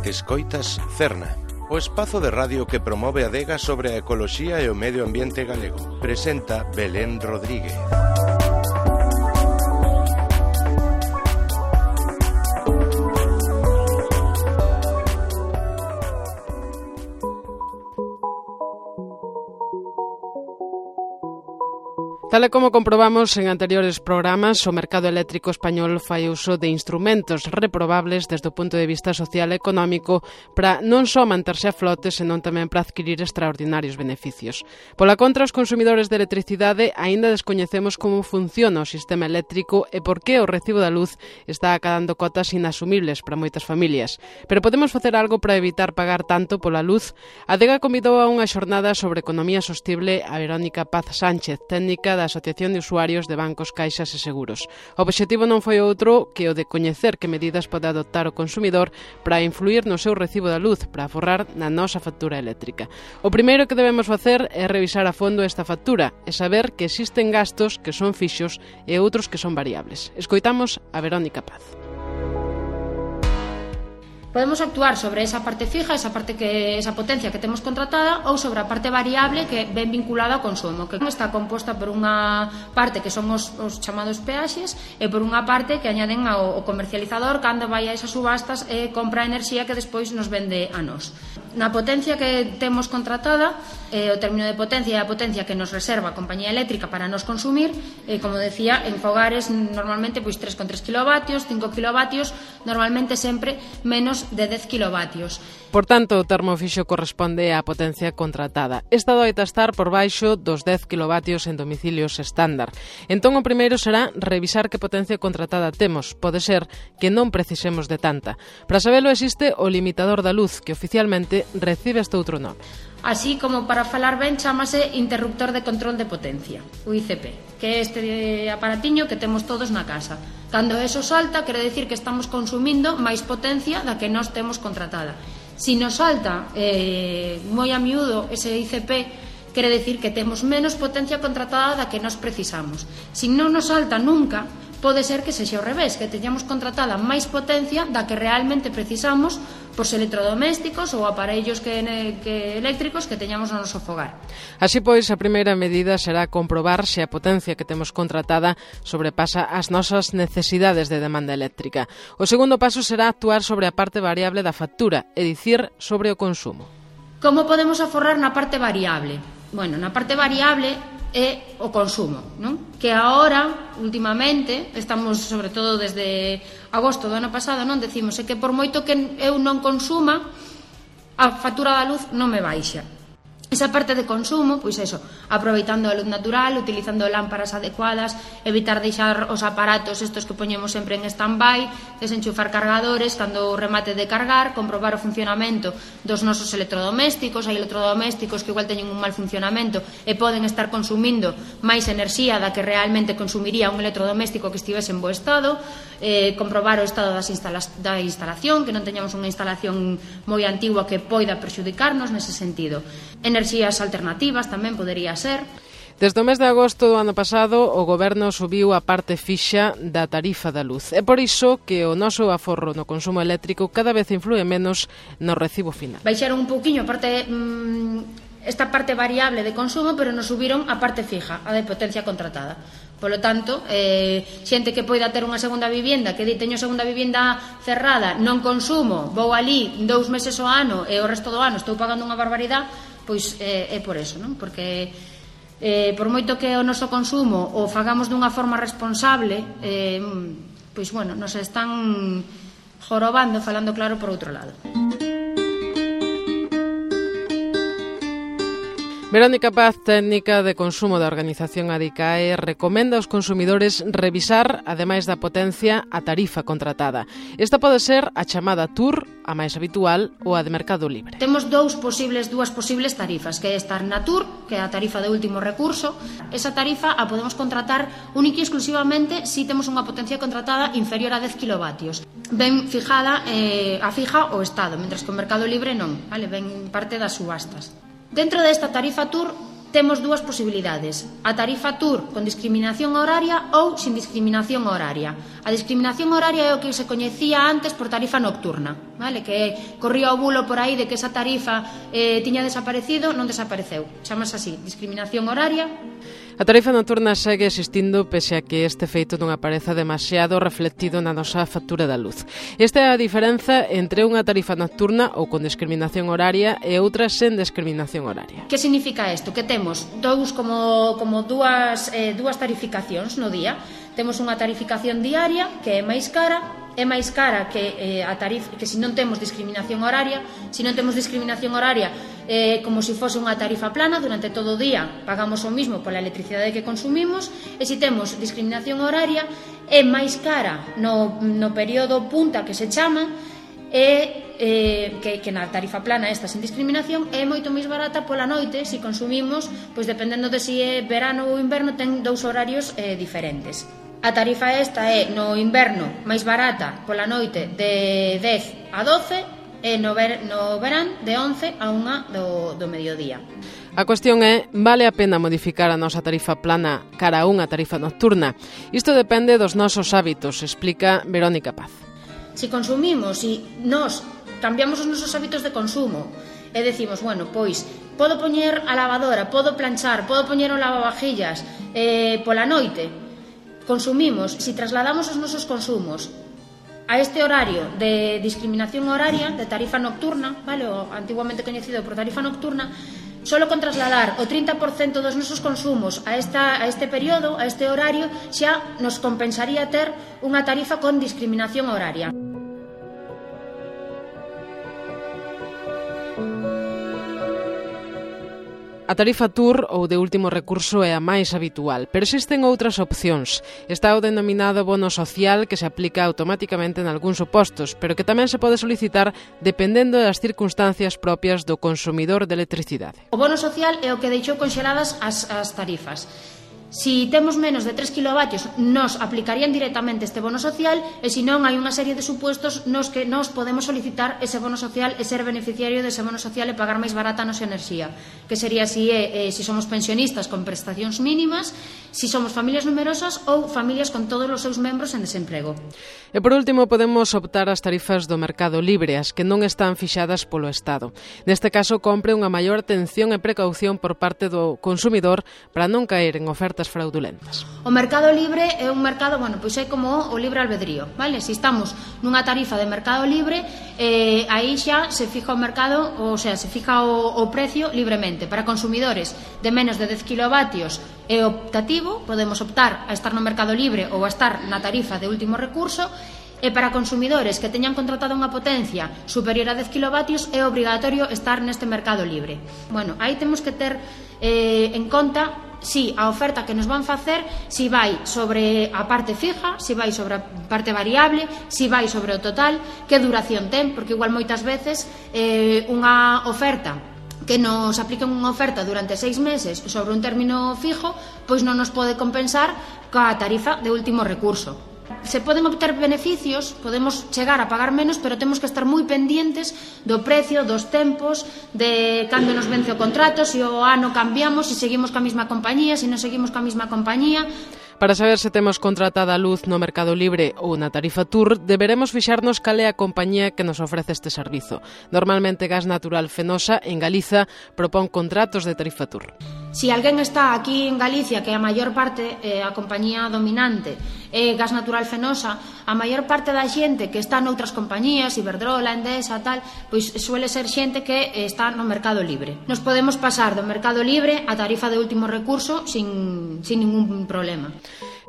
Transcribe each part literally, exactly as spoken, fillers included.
Escoitas Cerna, o espazo de radio que promove a adega sobre a ecoloxía e o medio ambiente galego. Presenta Belén Rodríguez. Tal e como comprobamos en anteriores programas, o mercado eléctrico español fai uso de instrumentos reprobables desde o punto de vista social e económico para non só manterse a flote, senón tamén para adquirir extraordinarios beneficios. Pola contra, os consumidores de electricidade aínda descoñecemos como funciona o sistema eléctrico e por que o recibo da luz está acadando cotas inasumibles para moitas familias. Pero podemos facer algo para evitar pagar tanto pola luz? A Adega convidou a unha xornada sobre economía sostible a Verónica Paz Sánchez, técnica da Asociación de Usuarios de Bancos, Caixas e Seguros. O obxectivo non foi outro que o de coñecer que medidas pode adoptar o consumidor para influir no seu recibo da luz, para aforrar na nosa factura eléctrica. O primeiro que debemos facer é revisar a fondo esta factura e saber que existen gastos que son fixos e outros que son variables. Escoitamos a Verónica Paz. Podemos actuar sobre esa parte fija, esa parte que esa potencia que temos contratada, ou sobre a parte variable que ven vinculada ao consumo, que está composta por unha parte que son os, os chamados peaxes e por unha parte que añaden ao, ao comercializador cando vai a esas subastas e compra enerxía que despois nos vende a nós. Na potencia que temos contratada, eh, o término de potencia é a potencia que nos reserva a compañía eléctrica para nos consumir, e, como decía, en fogares normalmente pois tres coma tres kilovatios, cinco kilovatios, normalmente sempre menos de dez kilovatios. Por tanto, o termo fixo corresponde á potencia contratada. Esta doita estar por baixo dos dez kilovatios en domicilios estándar. Entón, o primeiro será revisar que potencia contratada temos. Pode ser que non precisemos de tanta. Para sabelo, existe o limitador da luz, que oficialmente recibe este outro nome. Así como para falar ben chamase interruptor de control de potencia, o I C P, que é este aparatiño que temos todos na casa. Cando eso salta, quere decir que estamos consumindo máis potencia da que nós temos contratada. Si nos salta eh, moi a miúdo ese I C P, quere decir que temos menos potencia contratada da que nós precisamos. Si non nos salta nunca, pode ser que sexa ao revés, que teñamos contratada máis potencia da que realmente precisamos pos electrodomésticos ou aparellos que, que eléctricos que teñamos no noso fogar. Así pois, a primeira medida será comprobar se a potencia que temos contratada sobrepasa as nosas necesidades de demanda eléctrica. O segundo paso será actuar sobre a parte variable da factura, é dicir, sobre o consumo. Como podemos aforrar na parte variable? Bueno, na parte variable é o consumo, non? Que agora, últimamente, estamos, sobre todo desde agosto do ano pasado, non decimos é que por moito que eu non consuma, a factura da luz non me baixa. Esa parte de consumo, pois eso, aproveitando a luz natural, utilizando lámparas adecuadas, evitar deixar os aparatos estos que poñemos sempre en stand-by, desenchufar cargadores cando o remate de cargar, comprobar o funcionamento dos nosos electrodomésticos. Hai electrodomésticos que igual teñen un mal funcionamento e poden estar consumindo máis enerxía da que realmente consumiría un electrodoméstico que estivese en bo estado, eh, comprobar o estado das instala da instalación, que non teñamos unha instalación moi antigua que poida perxudicarnos nese sentido. Enerxías alternativas tamén podería ser. Desde o mes de agosto do ano pasado, o Goberno subiu a parte fixa da tarifa da luz. É por iso que o noso aforro no consumo eléctrico cada vez influe menos no recibo final. Baixaron un pouquiño a parte, mmm, esta parte variable de consumo, pero nos subiron a parte fija, a de potencia contratada. Polo tanto, eh, xente que poida ter unha segunda vivienda, que di teño segunda vivienda cerrada, non consumo, vou ali dous meses ao ano e o resto do ano estou pagando unha barbaridade, pois eh, é por eso, non? Porque eh, por moito que o noso consumo o fagamos dunha forma responsable, eh, pois bueno, nos están jorobando, falando claro, por outro lado. Verónica Paz, técnica de consumo da organización ADICAE, recomenda aos consumidores revisar, ademais da potencia, a tarifa contratada. Esta pode ser a chamada T U R, a máis habitual, ou a de Mercado Libre. Temos dous posibles, dúas posibles tarifas, que é estar na T U R, que é a tarifa de último recurso. Esa tarifa a podemos contratar única e exclusivamente se temos unha potencia contratada inferior a dez kilovatios. Ben fijada eh, a fija o Estado, mentras que o Mercado Libre non, vale? Ben parte das subastas. Dentro desta tarifa T U R temos dúas posibilidades: a tarifa Tour con discriminación horaria ou sin discriminación horaria. A discriminación horaria é o que se coñecía antes por tarifa nocturna, vale? Que corría o bulo por aí de que esa tarifa eh, tiña desaparecido. Non desapareceu, chamase así, discriminación horaria. A tarifa nocturna segue existindo pese a que este feito non apareza demasiado reflectido na nosa factura da luz. Esta é a diferenza entre unha tarifa nocturna ou con discriminación horaria e outra sen discriminación horaria. Que significa isto? Que temos dous como, como dúas, eh, dúas tarificacións no día. Temos unha tarificación diaria que é máis cara, é máis cara que eh, a tarifa, que se non temos discriminación horaria. Se non temos discriminación horaria, eh, como se fose unha tarifa plana, durante todo o día pagamos o mismo pola electricidade que consumimos, e se temos discriminación horaria é máis cara no, no período punta que se chama, e eh, que, que na tarifa plana esta sin discriminación é moito máis barata pola noite. Se consumimos, pois dependendo de se é verano ou inverno, ten dous horarios eh, diferentes. A tarifa esta é no inverno máis barata pola noite de dez a doce e no, ver, no verán de once a unha do, do mediodía. A cuestión é, vale a pena modificar a nosa tarifa plana cara a unha tarifa nocturna? Isto depende dos nosos hábitos, explica Verónica Paz. Se consumimos, se nós cambiamos os nosos hábitos de consumo e decimos, bueno, pois podo poñer a lavadora, podo planchar, podo poñer o lavavajillas eh, pola noite, consumimos, se trasladamos os nosos consumos a este horario de discriminación horaria, de tarifa nocturna, vale, o antiguamente coñecido por tarifa nocturna, solo con trasladar o trinta por cento dos nosos consumos a, esta, a este período, a este horario, xa nos compensaría ter unha tarifa con discriminación horaria. A tarifa Tour ou de último recurso é a máis habitual, pero existen outras opcións. Está o denominado bono social, que se aplica automáticamente en algúns supostos, pero que tamén se pode solicitar dependendo das circunstancias propias do consumidor de electricidade. O bono social é o que deixou conxeladas as, as tarifas. Si temos menos de tres kilovatios, nos aplicarían directamente este bono social, e se non, hai unha serie de supuestos nos que nos podemos solicitar ese bono social e ser beneficiario dese bono social e pagar máis barata a nosa enerxía, que sería si, eh, si somos pensionistas con prestacións mínimas, si somos familias numerosas ou familias con todos os seus membros en desemprego. E por último, podemos optar ás tarifas do mercado libre, as que non están fixadas polo Estado. Neste caso, compre unha maior atención e precaución por parte do consumidor para non caer en ofertas fraudulentas. O mercado libre é un mercado, bueno, pois é como o libre albedrío, vale? Se estamos nunha tarifa de mercado libre, eh, aí xa se fija o mercado, ou sea, se fija o, o precio libremente. Para consumidores de menos de dez kilovatios é optativo, podemos optar a estar no mercado libre ou a estar na tarifa de último recurso. E para consumidores que teñan contratado unha potencia superior a dez kilovatios é obrigatorio estar neste mercado libre. Bueno, aí temos que ter eh, en conta si a oferta que nos van facer, si vai sobre a parte fija, si vai sobre a parte variable, si vai sobre o total, que duración ten, porque igual moitas veces eh, unha oferta que nos apliquen unha oferta durante seis meses sobre un término fijo, pois non nos pode compensar coa tarifa de último recurso. Se poden obter beneficios, podemos chegar a pagar menos, pero temos que estar moi pendientes do precio, dos tempos, de cando nos vence o contrato, se o ano cambiamos, se seguimos coa mesma compañía, se non seguimos coa mesma compañía. Para saber se temos contratada a luz no mercado libre ou na tarifa Tour, deberemos fixarnos cal é a compañía que nos ofrece este servizo. Normalmente Gas Natural Fenosa, en Galiza, propón contratos de tarifa Tour. Si alguén está aquí en Galicia, que a maior parte, eh, a compañía dominante é Gas Natural Fenosa, a maior parte da xente que está noutras compañías, Iberdrola, Endesa, tal, pois suele ser xente que está no mercado libre. Nos podemos pasar do mercado libre a tarifa de último recurso sin, sin ningún problema.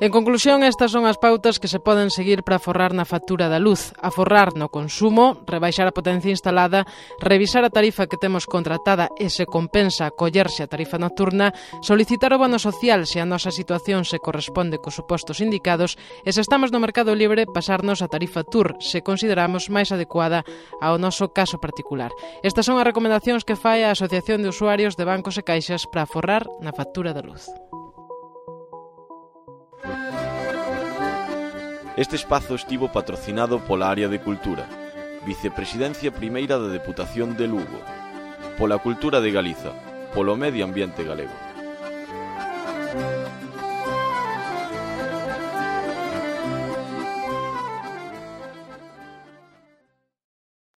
En conclusión, estas son as pautas que se poden seguir para aforrar na factura da luz, aforrar no consumo, rebaixar a potencia instalada, revisar a tarifa que temos contratada e se compensa acollerse a tarifa nocturna, solicitar o bono social se a nosa situación se corresponde cos supostos indicados e se estamos no mercado libre, pasarnos a tarifa Tour se consideramos máis adecuada ao noso caso particular. Estas son as recomendacións que fai a Asociación de Usuarios de Bancos e Caixas para aforrar na factura da luz. Este espazo estivo patrocinado pola Área de Cultura, Vicepresidencia Primeira da Deputación de Lugo, pola Cultura de Galiza, polo Medio Ambiente Galego.